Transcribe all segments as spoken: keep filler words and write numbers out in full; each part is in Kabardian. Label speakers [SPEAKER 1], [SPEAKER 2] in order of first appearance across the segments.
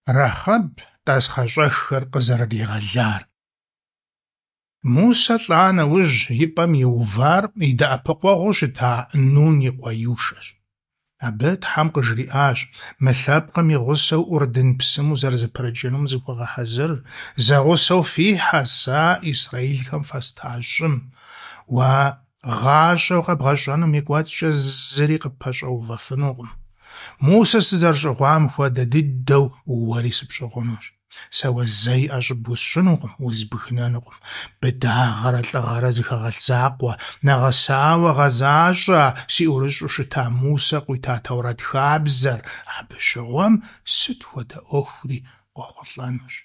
[SPEAKER 1] Рахъэб тӏасхъэщӏэххэр къызэрыригъэлар. Мусэ лӏа нэужь и пӏэм иувар и дэӏэпыкъуэгъуу щыта Нун и къуэ Йушэщ. Абы Тхьэм къыжриӏащ: «Мы лъэпкъым и гъусэу Ӏурдын псым узэрызэпрыкӏынум зыхуэгъэхьэзыр, зэгъусэу фихьэ сэ исраилхэм фэста щӏым. Уэ гъащӏэу къэбгъэщӏэнум и кӏуэцӏкӏэ зыри къыппэщӏэувэфынукъым. Мусэ сызэрыщӏыгъуам хуэдэ дыдэу уэри сыпщӏыгъунущ. Сэ уэ зэи ӏэщӏыб усщӏынукъым, узбгынэнукъым. Быдагъэрэ лӏыгъэрэ зыхэгъэлъ закъуэ, нэгъэсауэ гъэзащӏэ си ӏурыщӏу щыта Мусэ къуита Тэурэт хабзэр, абы щыгъуэм сыт хуэдэ ӏуэхури къохъулӏэнущ».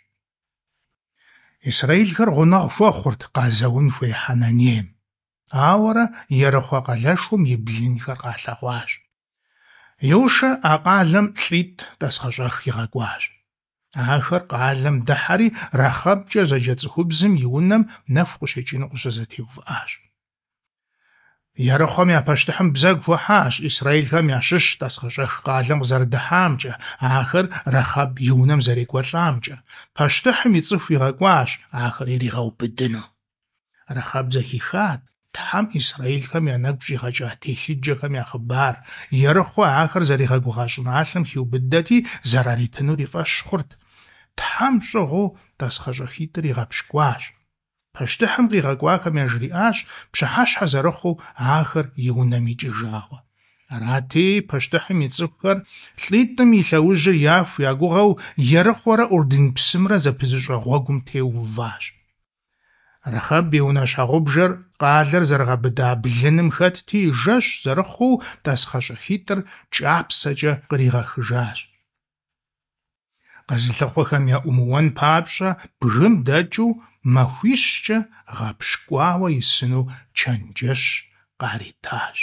[SPEAKER 1] Исраилхэр гъунэгъу хуэхъурт къазэун хуей Хьэнанейм. Ауэрэ Ерыхъуэ къалэшхуэм и блынхэр къалъэгъуащ. Йушэ а къалэм лӏитӏ тӏасхъэщӏэх игъэкӏуащ. Ахэр къалэм дыхьэри Рахъэбкӏэ зэджэ цӏыхубзым и унэм нэху къыщекӏыну къыщызэтеувыӏащ. Ерыхъуэм я пащтыхьым бзэгу хуахьащ исраилхэм ящыщ тӏасхъэщӏэх къалэм къызэрыдыхьамкӏэ, ахэр Рахъэб и унэм зэрекӏуэлӏамкӏэ. Пащтыхьым и цӏыху игъэкӏуащ ахэр иригъэубыдыну. Рахъэб зэхихат Тхьэм исраилхэм я нэгу щӏигъэкӏа телъыджэхэм я хъыбар, Ерыхъуэ ахэр зэригъэгугъа щӏыналъэм хиубыдэти, зэраритынур и фӏэщ хъурт. Тхьэм щӏыгъуу тӏасхъэщӏэхитӏыр игъэпщкӏуащ. Пащтыхьым къигъэкӏуахэм яжриӏащ пщыхьэщхьэ зэрыхъуу ахэр и унэм икӏыжауэ. Арати, пащтыхьым и цӏыхухэр лӏитӏым и лъэужьыр яху я гугъэу Ерыхъуэрэ Ӏурдын псымрэ зэпызыщӏэ гъуэгум теуващ. Рахъэб и унэ щхьэгъубжэр къалэр зэрыгъэбыда блыным хэтти, жэщ зэрыхъуу тӏасхъэщӏэхитӏыр кӏапсэкӏэ къригъэхыжащ. Къэзылъыхъуэхэм яӏумыуэн папщӏэ бгым дэкӏыу махуищкӏэ гъэпщкӏуауэ исыну чэнджэщ къаритащ.